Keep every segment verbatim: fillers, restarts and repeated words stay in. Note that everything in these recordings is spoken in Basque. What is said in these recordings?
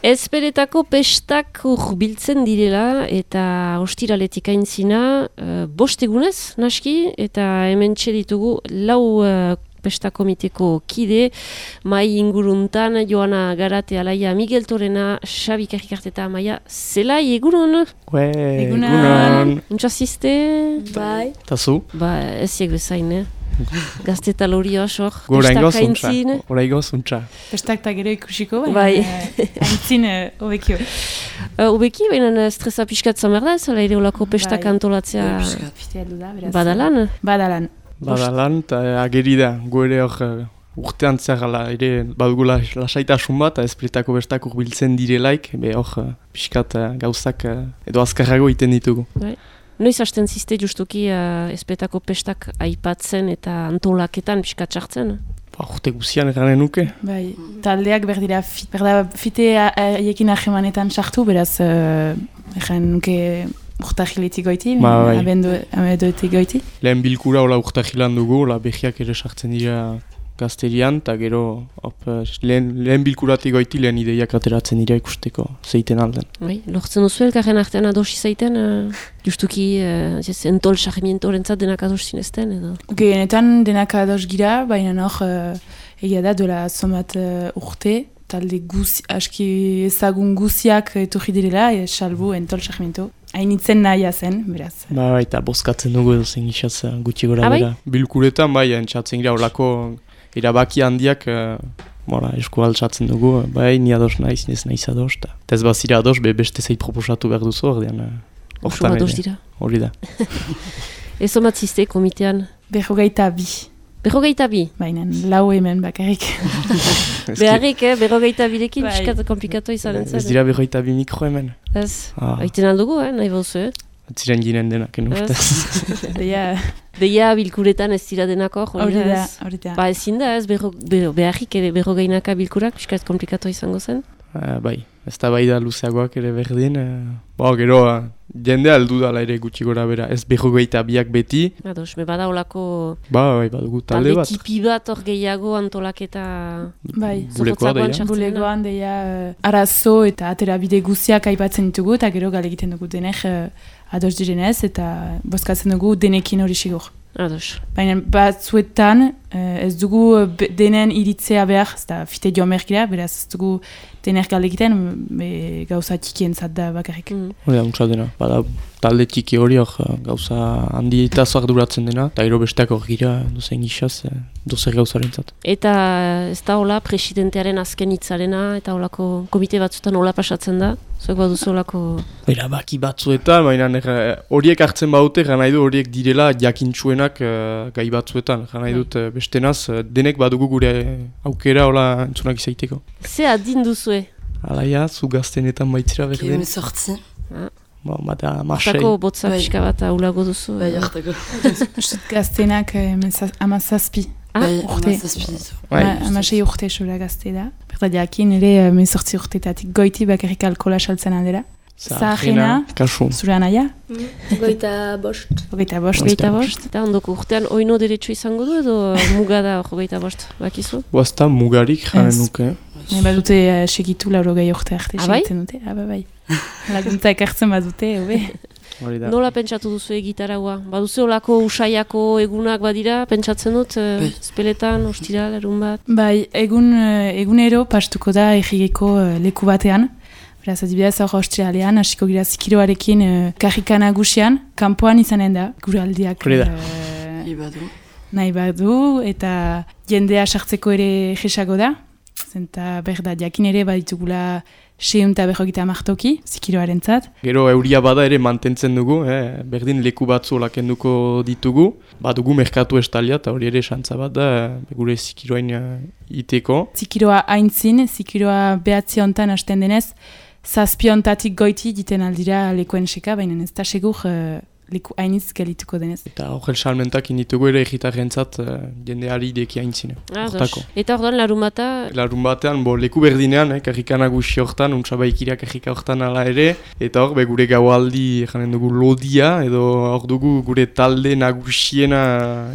Ezpeletako pestak urbiltzen direla eta ostiraletik aintzina uh, bost egunez, naski, eta hemen ditugu lau uh, pestakomiteko kide, mai inguruntan, Joana Garate, Alaia Miguel Torena, Xabi Karrikart eta Maia Zelai, egunon? Ue, egunon. Untxasizte? Bai. Tazu? Ba, eziek bezain, eh? Gazte eta lori osor, pestak aintzin. Horaigo zuntza. Pestak eta gero ikusiko, bai. Aintzin obekio. Obeki, baina stresa pixkatzen behar da, zela ere olako pestak antolatzea badalan? Badalan. Badalan, eta ageri da, gu ere hor urtean zerala, ere badugula lasaitasun bat, ezpeletako pestak urbiltzen direlaik, be hor pixkat gauzak edo azkarrago iten ditugu. Bai. Noiz hasten ziste justuki uh, ezpeletako pestak aipatzen eta antolaketan pixkat txartzen? Ba, urte guzian eranen nuke. Bai, taldeak berdira fit, berda fite haiekin ahemanetan sartu, beraz, uh, egan nuke urtahiletik goiti, ba, bai. abenduetik goiti. Lehen bilkura hola urtahilan dugu, hola behiak ere sartzen dira gazterian, eta gero op, lehen, lehen bilkuratik goiti lehen ideiak ateratzen dira ikusteko zeiten alden. Bai, lortzen duzu elkarren artean adosi zaiten, uh, justuki uh, entol sarmientorentzat denak ados zinezten, edo? Genetan denak ados gira, baina hor uh, egia da dola zomat uh, urte, talde guzi, aski ezagun guziak etorri direla, e, salbu entol sarmiento. Hainitzen nahia zen, beraz. Ba, eta bozkatzen dugu edo zen gixatz gutxi gora ah, bera. Bai? Bilkuretan, bai, entzatzen gira olako erabaki handiak uh, mora, esku altzatzen dugu, bai, ni ados naiz, nez naiz ados, eta ez bazira ados, be beste zeit proposatu behar duzu, ordean. Uh, Oso ados dira. Hori da. Ez omatzizte komitean? Berrogeita bi. Berrogeita bi? Baina, lau hemen bakarrik. Beharrik, eh? Berrogeita birekin, bai. Piskat komplikatu izanen zen. Ez dira berrogeita bi mikro hemen. Ez, ah. Aiten aldugu, eh? Nahi bauzu, eh? Ziren ginen denak, eno urtez. Deia... Deia bilkuretan ez dira denako, hori da, hori da. Ba ezin da ez, berro, berro, beharrik ere berrogeinaka bilkurak, piskat komplikatu izango zen? Uh, bai, ez da bai da luzeagoak ere berdin. Uh, ba, gero, uh, jende aldu dala ere gutxi gora bera, ez berrogeita biak beti. Ados, me bada olako... Ba, bai, badugu talde bat. Talde tipi bat hor gehiago antolaketa... Bai, bulekoa deia. Bulekoan deia uh, arazo eta aterabide guziak aipatzen ditugu, eta gero gale egiten dugu denek uh, ados direnez, eta bozkatzen dugu denekin hori sigur. Ados. Baina batzuetan uh, ez dugu denen iritzea behar, ez da fite joan berkira, beraz ez dugu dener gale egiten, be, gauza txikien zat da bakarrik. Mm. Hori da, untsa dena. Bada, talde txiki hori hor gauza handi eta duratzen dena, eta gero besteak hor gira dozen gixaz, dozer gauzaren zat. Eta ez da hola presidentearen azken hitzarena, eta holako komite batzuetan hola pasatzen da? Zuek baduzu holako... Baina baki batzuetan, baina horiek hartzen baute, gana nahi du horiek direla jakintsuenak uh, gai batzuetan. Gana nahi dut uh, bestenaz, uh, denek badugu gure aukera hola entzunak izaiteko. Ze adin duzue? Alaia, zu gaztenetan baitzira berdin. Kime sortzi. Ah. Ba, bada, masei. Hortako botza pixka bat aulago duzu. Bai, hortako. Gaztenak amazazpi. Ah, urte. Amasei urte esura gazte da. Berda jakin ere mezortzi urtetatik goiti bakarrik alkola saltzen aldera. Zaharena, zure anaia? Goita bost. Goita bost. Goita bost. Eta ondoko urtean oino deretsu izango du edo mugada hor goita bost, bakizu? Boazta mugarik jaren nuke. Ne badute uh, segitu lauro gai urte arte segitzen dute. Aba bai. Laguntza ekartzen badute, hobe. Nola pentsatu duzu egitaraua? Baduzu olako usaiako egunak badira, pentsatzen dut, uh, espeletan, ostiral, erun bat? Bai, egun, uh, egunero pastuko da egigeko uh, leku batean. Beraz, adibidez, hor ostiralean, hasiko gira zikiroarekin uh, karrika nagusian, kanpoan izanen da, gure aldiak uh, nahi badu, eta jendea sartzeko ere jesago da. Zenta berda, jakin ere baditugula seun eta berrogita martoki, zikiroaren zat. Gero euria bada ere mantentzen dugu, eh? Berdin leku batzu lakenduko ditugu. Badugu merkatu estalia eta hori ere esantza bat da, gure zikiroain uh, iteko. Zikiroa haintzin, zikiroa behatzi hontan hasten denez, zazpi hontatik goiti diten aldira lekuen seka, baina ez da segur uh, leku hainitz gelituko denez. Eta horrel salmentak inditugu ere egitarrentzat uh, jendeari ideki haintzine. Ah, eta orduan larun bata? Larun batean, bo, leku berdinean, eh, karrika nagusi hortan, untsabaikira karrika hortan ala ere, eta hor, be, gure gaualdi, janen dugu lodia, edo hor dugu gure talde nagusiena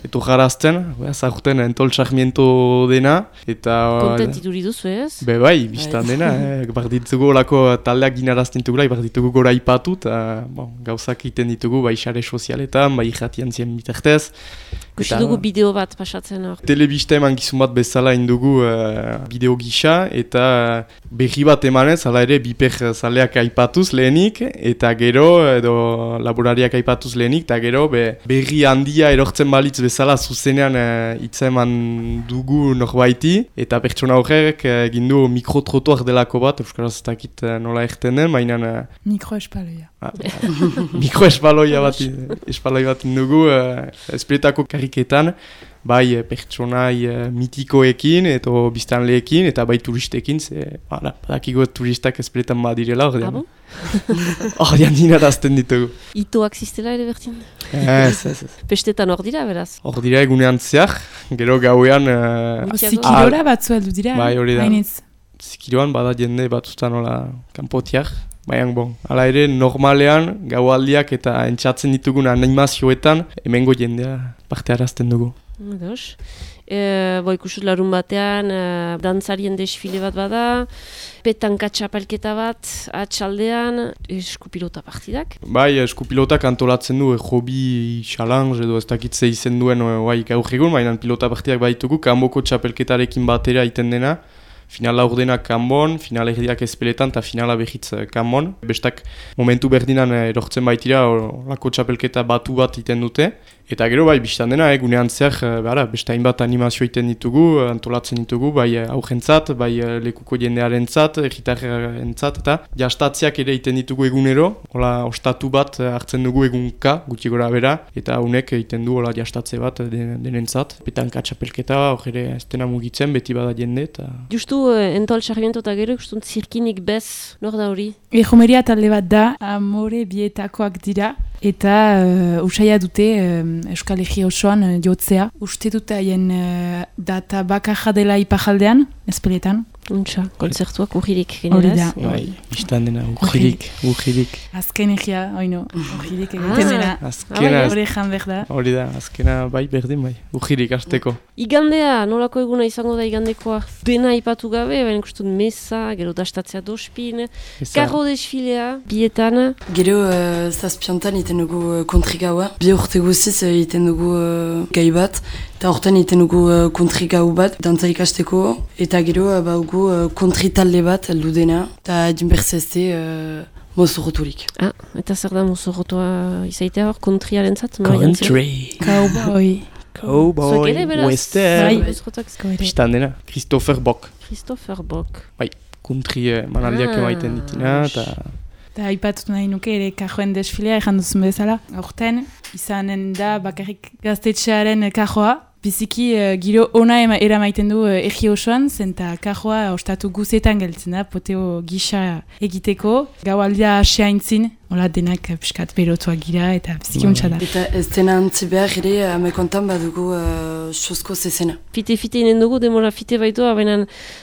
eto jarazten, zahurten entol sarmiento dena, eta... Kontent iduri duzu ez? Be bai, biztan dena, eh, bar ditugu olako taldeak ginarazten dugula, bar ditugu gora ipatu, eta bon, gauzak iten ditugu, bai xare sozialetan, bai irratian zien bitartez. Gusi dugu bideo bat pasatzen hor. Telebista eman gizun bat bezala indugu uh, bideo gisa, eta berri bat emanez, hala ere biper zaleak aipatuz lehenik, eta gero, edo laborariak aipatuz lehenik, eta gero be, berri handia erortzen balitz bezala zuzenean uh, hitza eman dugu norbaiti, eta pertsona horrek egin du mikrotrotuak delako bat, euskaraz ez dakit uh, nola erten den, baina... Uh, Mikroespaloia. Ah, mikroespaloia bat, espaloia bat indugu, uh, espretako kariketan, bai pertsonai uh, mitikoekin, eta biztanleekin, eta bai turistekin, ze, bada, badakigo turistak espretan badirela, ordean. Ah, ordean dinarazten ditugu. Itoak ziztela ere bertin? Ez, ez, ez. Pestetan hor dira, beraz? Hor dira egunean zeak, gero gauean... Uh, Zikirora batzu heldu dira, bai, hori da. hainitz. Zikiroan bada jende batzutan hola kanpotiak. Baina, bon, ala ere, normalean, gaualdiak eta entxatzen ditugun animazioetan, hemengo jendea parte harazten dugu. Ados. E, bo, ikusut larun batean, e, dantzarien desfile bat bada, petanka txapelketa bat, atxaldean, eskupilota partidak. Bai, eskupilotak antolatzen du, e, hobi challenge edo ez dakitze izen duen oai gaur egun, baina pilota partidak baditugu, kanboko txapelketarekin batera iten dena. Finala ordenak kanbon, finala erdiak ezpeletan eta finala behitz kanbon. Bestak momentu berdinan erortzen baitira, lako txapelketa batu bat iten dute. Eta gero bai, biztan dena, egunean zer, besta hainbat animazio iten ditugu, antolatzen ditugu, bai aurrentzat, bai lekuko jendearentzat, erritarrentzat, eta jastatziak ere iten ditugu egunero, hola ostatu bat hartzen dugu egunka, gutxi gora bera, eta honek egiten du hola jastatze bat denentzat. Petanka txapelketa, hor ere ez dena mugitzen, beti bada jende, eta... Justu, entol sarmiento eta gero, ikusten zirkinik bez, nor da hori? Ejomeria talde bat da, amore bietakoak dira, eta uh, usaia dute uh, Euskal Herria osoan uh, jotzea. Uste dut haien uh, data bakarra dela ipajaldean, ezpeletan. Untxa, kontzertuak urririk generaz. Bai, biztan dena, urririk, urririk. Azken egia, oino, urririk egiten dena. Azkena, hori jan behar da. Hori da, azkena bai berdin bai, urririk azteko. Igandea, nolako eguna izango da igandekoa? Dena ipatu gabe, baina ikustun mesa, gero dastatzea dospin, karro desfilea, bietan. Gero uh, zazpiantan iten dugu uh, kontrigaua, bi urte guziz uh, iten dugu uh, gai bat, eta hortan iten dugu uh, kontrigau bat, dantza ikasteko, eta gero uh, baugu uh, kontritalde bat heldu dena, eta jinberzezte uh, mozorroturik. Ah, eta zer da mozorrotua izaitea hor, kontriaren zat? Country. Cowboy. Cowboy, western. Bai, biztan dena, Christopher Bock. Christopher Bock. Bai, country eh, manaldiak ah, emaiten ditina, eta... Eta aipatut nahi nuke ere kajoen desfilea ejan duzun bezala. Aurten, izanen da bakarrik gaztetxearen kajoa. Biziki uh, giro ona ema, eramaiten du uh, egi osoan, zenta kajoa ostatu guzetan geltzen da, poteo gisa egiteko. Gaualdia asea intzin, hola denak piskat berotuak gira eta biziki untsa da. Eta ez dena antzi behar ere, amekontan badugu uh, sosko zezena. Fite-fite inen dugu, demora fite baitu, baina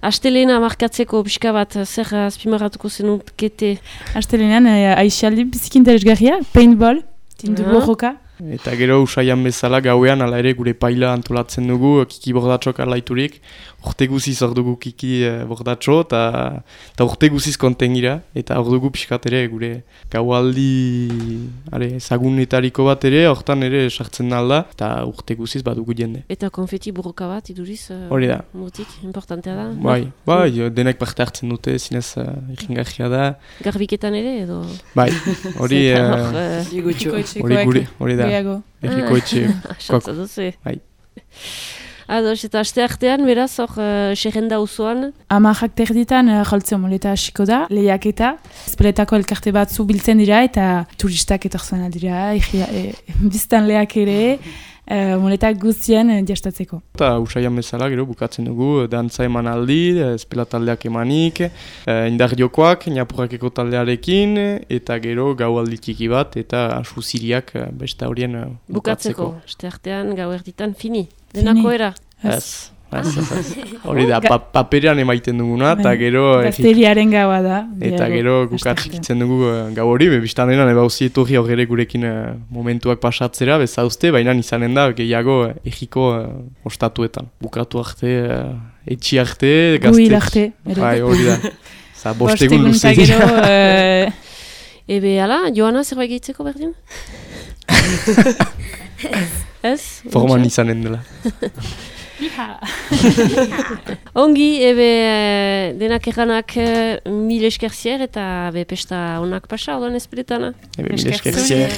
astelena markatzeko pixka bat, zer azpimarratuko zenukete? Astelenean, uh, aixialdi biziki interesgarria, paintball, tindu borroka. Eta gero usaian bezala gauean, ala ere gure paila antolatzen dugu, kiki bordatxok alaiturik. Urte guziz hor dugu kiki eh, bordatxo, eta urte guziz kontengira. Eta hor dugu pixkat ere gure gaualdi zagunetariko bat ere, hortan ere sartzen nalda, eta urte guziz badugu jende. Eta konfeti burroka bat, iduriz? Hori da. Mutik, importantea da? Bai, bai, denek parte hartzen dute, zinez uh, irringarria da. Garbiketan ere, edo? Bai, hori... Hori gure, hori da. Erriko etxe. Bai. Ados, eta aste artean, beraz, hor, uh, xerrenda usoan? Amajak terditan, uh, joltzeo moleta hasiko da, lehiaketa. Ezpeletako elkarte batzu biltzen dira, eta turistak etortzen dira, e, biztan leak ere, uh, muletak guztien uh, jastatzeko. Eta usaian bezala, gero, bukatzen dugu, dantza eman aldi, espela taldeak emanik, eh, indar jokoak, Ñapurrakeko taldearekin, eta gero gau aldi txiki bat, eta suziriak beste horien uh, bukatzeko. Bukatzeko, este artean gau erditan fini, denako era. Ez, ez, ez. Hori da, pa paperean emaiten duguna, eta gero... Gazteriaren gaua da. Eta gero gukatzen dugu uh, gau hori, biztan denan, eba hauzi etorri horre gurekin uh, momentuak pasatzera, bezauzte, baina izanen da, gehiago uh, egiko uh, ostatuetan. Bukatu arte, uh, etxi arte, gazte... Guil arte. Bai, hori da. Za, bostegun luze. Bostegun uh... Ebe, ala, Joana, zerbait gehitzeko berdin? Ez? Forman izanen dela. Ongi, ebe, denak erranak mil eskerzier eta be pesta onak pasa, odoan ezpeletana. Ebe, mil eskerzier.